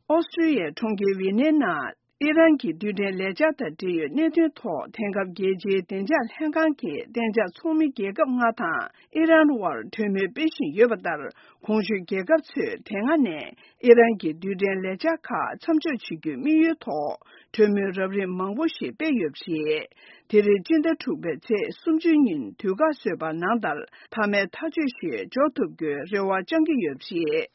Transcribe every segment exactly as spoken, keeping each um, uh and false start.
ཨོ་སི་ཀྲི་ཡའི་གྲོང་ཁྱེར་ཝི་ནའི་ནང་ཨི་རན་གྱི་རྡུལ་ཕྲན་ལས་འཆར་དང་འབྲེལ་ཡོད་གནད་དོན་ཐོག་དེང་སྐབས་རྒྱལ་སྤྱིའི་བདེ་འཇགས་ལྷན་ཁང་གི་གཏན་འཇགས་ཚོགས་མི་རྒྱལ་ཁབ་ལྔ་དང་ཨི་རན་དབར་གྲོས་མོལ་སྤེལ་བཞིན་ཡོད་པ་ལྟར། གོང་ཞུས་རྒྱལ་ཁབ་ཚོས་དེ་སྔ་ནས་ཨི་རན་གྱི་རྡུལ་ཕྲན་ལས་འཆར་ཁག་མཚམས་འཇོག་བྱེད་རྒྱུའི་དམིགས་ཡུལ་ཐོག་གྲོས་མོལ་རབ་རིམ་མང་པོ་ཞིག་སྤེལ་ཡོད་པ་རེད། དེ་རིང་སྤྱི་ཟླ་དྲུག་པའི་ཚེས་སུམ་ཅུ་ཉིན་དུས་བཀག་བཟོས་པ་ནང་ལྟར་མཐའ་མའི་ཐག་གཅོད་ཞིག་འཇོག་ཐུབ་རྒྱུའི་རེ་བ་བཅང་གི་ཡོད་པ་རེད།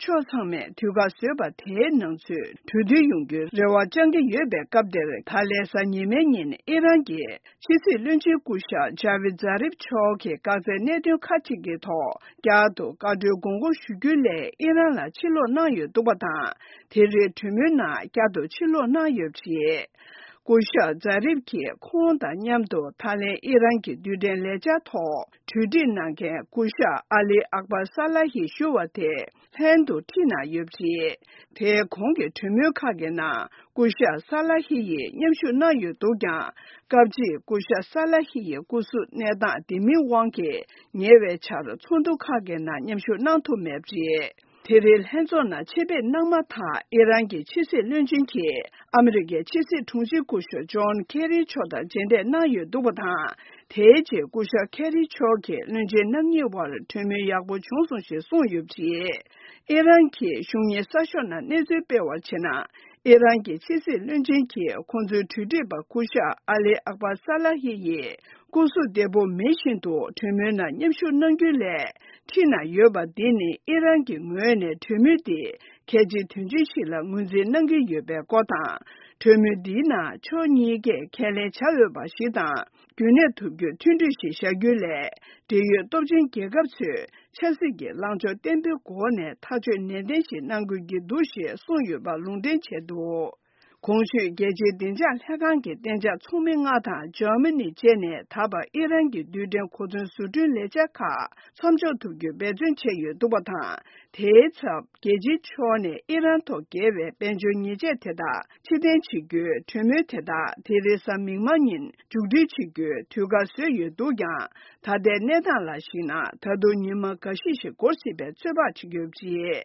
ཕྱོགས་ཚང་མས་དུས་བཀག་བཟོས་པ་དེའི་ནང་ཚུད་གྲོས་མཐུན་ཡོང་རྒྱུའི་རེ་བ་བཅང་གི་ཡོད་པའི་སྐབས་དེར། ད་ལན་གཟའ་ཉི་མའི་ཉིན་ཨི་རན་གྱི་ཕྱི་སྲིད་བློན་ཆེན་སྐུ་ཞབས་ཇ་བི་ཛ་རིབ་མཆོག་གིས་དཀའ་ཚེགས་གནད་དོན་ཁག་ཅིག་གི་ཐོག་བསྐྱར་དུ་བཀའ་འཁྲོལ་དགོངས་སྐོར་ཞུ་རྒྱུའི་སླད་ཨི་རན་ལ་ཕྱིར་ལོག་གནང་ཡོད་འདུག་པ་དང་། དེ་རིང་གྲོས་མོལ་ནང་བསྐྱར་དུ་ཕྱིར་ལོག་གནང་ཡོད་པ་རེད། སྐུ་ཞབས་ཛ་རིབ་ཀྱིས་ཁོང་དང་མཉམ་དུ་ད་ལན་ཨི་རན་གྱི་རྡུལ་ཕྲན་ལས་འཆར་ཐོག་གྲོས་འདྲི་གནང་མཁན་སྐུ་ཞབས་ཨ་ལི་ཨག་པར་ས་ལ་ཧི་ཞུ་བ་དེ་ལྷན་དུ་ཁྲིད་གནང་ཡོད་པ་རེད། དེའི་གོང་གི་གྲོས་མོལ་ཁག་གི་ནང་སྐུ་ཞབས་ས་ལ་ཧི་ཡིས་མཉམ་ཞུགས་གནང་ཡོད་འདུག་ཀྱང་། སྐབས་གཅིག་སྐུ་ཞབས་ས་ལ་ཧི་ཡི་སྐུ་གཟུགས་གནས་སྟངས་བདེ་མིན་དབང་གིས་ཉེ་བའི་ཆར་ཚོགས་འདུ་ཁག་གི་ནང་མཉམ་ཞུགས་གནང་ཐུབ་མེད་པ་རེད། དེ་རིང་ལྷན་ཚོགས་ནང་ཆེད་ཕེབས་གནང་མ་ཐག་ཨི་རན་གྱི་ཕྱི་སྲིད་བློན་ཆེན་གྱིས་ཨ་མི་རི་ཀའི་ཕྱི་སྲིད་དྲུང་ཆེ་སྐུ་ཞབས་ཇོན་ཁེ་རི་མཆོག་དང་མཇལ་འཕྲད་གནང་ཡོད་འདུག་པ་དང་། དེའི་རྗེས་སྐུ་ཞབས་ཁེ་རི་མཆོག་གིས་བློན་ཆེན་རྣམ་གཉིས་དབར་གྲོས་མོལ་ཡག་པོ་བྱུང་སོང་ཞེས་གསུངས་ཡོད་པ་རེད། ཨི་རན་གྱི་གཞུང་གཉེར་གསར་ཤོག་ནང་གནས་ཚུལ་སྤེལ་བར་བྱས་ན། ཨི་རན་གྱི་ཕྱི་སྲིད་བློན་ཆེན་གྱིས་ཁོང་ཚོའི་གྲོས་འདྲི་པ་སྐུ་ཞབས་ཨ་ལི་ཨག་པར་ས་ལ་ཧི་ཡིས་སྐུ་གཟུགས་བདེ་པོ་མེད་བཞིན་དུ་གྲོས་མོལ་ནང་མཉམ་ཞུགས་གནང་རྒྱུའི་སླད་ཁྲིད་གནང་ཡོད་པ་འདི་ནི་ཨི་རན་གྱི་ངོས་ནས་གྲོས་མོལ་འདི་གལ་ཆེའི་དོན་ཆེན་ཞིག་ལ་ངོས་འཛིན་གནང་གི་ཡོད་པའི་སྐོར་དང་། གྲོས་མོལ་འདིའི་ནང་ཕྱོགས་གཉིས་ཀས་ཁས་ལེན་བྱ་འོས་པ་ཞིག་དང་། རྒྱུན་གནས་ཐུབ་རྒྱུའི་མཐུན་གྲོས་ཤིག་བཞག་རྒྱུའི་སླད། འབྲེལ་ཡོད་སྟོབས་ཆེན་རྒྱལ་ཁབ་ཚོས་ཆབ་སྲིད་ཀྱི་ལངས་ཕྱོགས་བརྟན་པོའི་སྒོ་ནས་ཐག་གཅོད་ནན་ཏན་ཞིག་གནང་དགོས་ཀྱི་འདུག་ཞེས་གསུངས་ཡོད་པ་ལུང་འདྲེན་བྱས་འདུག་གོང་ཞུས་རྒྱལ་སྤྱིའི་བདེ་འཇགས་ལྷན་ཁང་གི་གཏན་འཇགས་ཚོགས་མི་ལྔ་དང་འཇར་མ་ནི་བཅས་ནས་ད་བར་ཨི་རན་གྱི་རྡུལ་ཕྲན་གོ་མཚོན་བཟོ་སྐྲུན་ལས་འཆར་ཁག་མཚམས་འཇོག་ཐུབ་རྒྱུའི་འབད་བརྩོན་བྱས་ཡོད་འདུག་པ་དང་། དེའི་ཚབ་རྒྱལ་སྤྱིའི་ཕྱོགས་ནས་ཨི་རན་ཐོག་འགེལ་བའི་དཔལ་འབྱོར་ཉེས་ཆད་དེ་དག་ཕྱིར་འཐེན་བྱེད་རྒྱུའི་གྲོས་མོལ་དེ་དག་དེ་རིང་གཟའ་མིག་དམར་ཉིན་མཇུག་སྒྲིལ་བྱེད་རྒྱུའི་དུས་བཀག་བཟོས་ཡོད་འདུག་ཀྱང་། ད་ལྟའི་གནས་སྟངས་ལ་གཞིགས་ན་ད་དུང་ཉི་མ་འགའ་ཤས་ཤིག་འགོར་སྲིད་པའི་ཚོད་དཔག་བྱེད་ཀྱི་ཡོད་པ་རེད།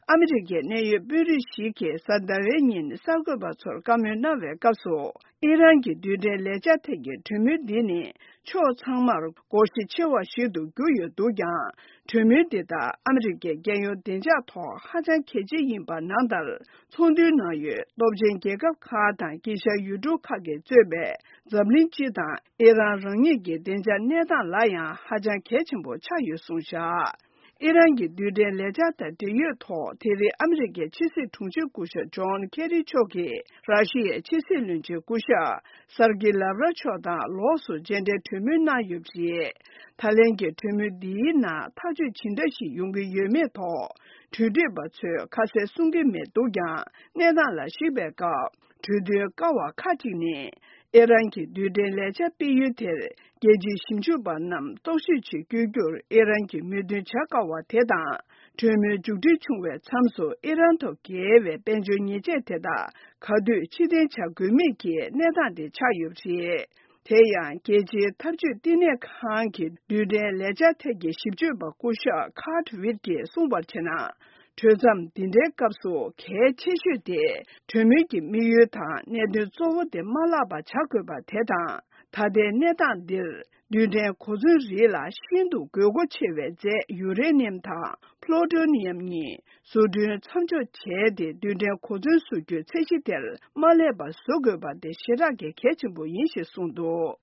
ཨ་མི་རི་ཀའི་གནད་ཡོད་དཔོན་རིགས་ཤིག་གིས་གཟའ་ཟླ་བའི་ཉིན་གསར་འགོད་པ་ཚོར་བཀའ་མོལ་གནང་བའི་སྐབས་སུ། ཨི་རན་གྱི་རྡུལ་ཕྲན་ལས་འཆར་ཐད་ཀྱི་གྲོས་མོལ་འདི་ནི་ཕྱོགས་ཚང་མར་སྒོར་གཞི་ཆེ་བ་ཞིག་ཏུ་གྱུར་ཡོད་འདུག་ཀྱང་། གྲོས་མོལ་འདི་དག་ཨ་མི་རི་ཀའི་རྒྱལ་ཡོངས་བདེ་འཇགས་ཐོག་ཧ་ཅང་གལ་ཆེ་ཡིན་པ་ནང་ལྟར། ཚོགས་འདུའི་ནང་ཡོད་སྟོབས་ཆེན་རྒྱལ་ཁབ་ཁག་དང་དཀྱིལ་ཤར་ཡུལ་གྲུ་ཁག་གིས་གཙོས་པའི་འཛམ་གླིང་སྤྱི་དང་ཨི་རན་རང་ཉིད་ཀྱི་བདེ་འཇགས་གནས་སྟངས་ལ་ཡང་ཧ་ཅང་གལ་ཆེན་པོ་ཆགས་ཡོད་གསུངས་བཞག་ཨི་རན་གྱི་རྡུལ་ཕྲན་ལས་འཆར་དང་འབྲེལ་ཡོད་ཐོག་དེ་རིང་ཨ་མི་རི་ཀའི་ཕྱི་སྲིད་དྲུང་ཆེ་སྐུ་ཞབས་ཇོན་ཁེ་རི་མཆོག་གིས་ར་ཤི་ཡའི་ཕྱི་སྲིད་བློན་ཆེན་སྐུ་ཞབས་སར་ཀི་ལབ་ར་མཆོག་དང་ལོགས་སུ་མཇལ་འཕྲད་གྲོས་མོལ་གནང་ཡོད་པ་རེད། ད་ལན་གྱི་གྲོས་མོལ་འདིའི་ནང་ཐག་གཅོད་ཇི་འདྲ་ཞིག་ཡོང་གི་ཡོད་མེད་ཐོག་གྲོས་འདྲི་པ་ཚོས་ཁ་གསལ་གསུང་གི་མེད་འདུག་ཀྱང་། གནས་སྟངས་ལ་གཞིགས་པའི་སྐབས། གྲོས་མཐུན་དཀའ་བ་ཁག་ཅིག་ནི། ཨི་རན་གྱི་རྡུལ་ཕྲན་ལས་འཆར་སྤེལ་ཡུལ་དེར་རྒྱལ་སྤྱིའི་ཞིབ་འཇུག་པ་རྣམས་རྟོག་ཞིབ་ཆེད་བསྐྱོད་རྒྱུར་ཨི་རན་གྱིས་མོས་མཐུན་བྱ་དཀའ་བ་དེ་དང་། གྲོས་མོལ་མཇུག་སྒྲིལ་བྱུང་བའི་མཚམས་སུ་ཨི་རན་ཐོག་འགེལ་བའི་དཔལ་འབྱོར་ཉེས་ཆད་དེ་དག་ག་དུས་ཕྱིར་འཐེན་བྱ་དགོས་མིན་གྱི་གནས་སྟངས་དེ་ཆགས་ཡོད་པ་རེད། དེ་ཡང་རྒྱལ་སྤྱིའི་འཐབ་ཇུས་བསྟི་གནས་ཁང་གི་རྡུལ་ཕྲན་ལས་འཆར་ཐད་ཀྱི་ཞིབ་དཔྱོད་པ་སྐུ་ཞབས་ཁཱར་ཝིར་གྱིས་གསུངས་པར་བྱས་ན། གྲོས་འཆམ་འདི་འདྲའི་སྐབས་སུ་གལ་ཆེ་ཤོས་དེ་གྲོས་མོལ་གྱི་དམིགས་ཡུལ་དང་གནད་དོན་གཙོ་བོ་དེ་མ་བརླག་པ་བྱ་དགོས་པ་དེ་དང་། ད་ལྟའི་གནས་སྟངས་འདིར་རྡུལ་ཕྲན་གོ་མཚོན་རིགས་ལ་ཤིན་ཏུ་དགོས་མཁོ་ཆེ་བའི་རྫས་ཡུ་རེ་ནི་ཡམ་དང་པློ་ཊོ་ནི་ཡམ་གཉིས་བཟོ་སྐྲུན་མཚམས་འཇོག་བྱས་ཏེ་རྡུལ་ཕྲན་གོ་མཚོན་བཟོ་རྒྱུའི་ཚད་གཞི་དེར་མ་སླེབས་པ་བཟོ་དགོས་པ་དེ་ཞེ་དྲག་གི་གལ་ཆེན་པོ་ཡིན་ཞེས་གསུངས་འདུག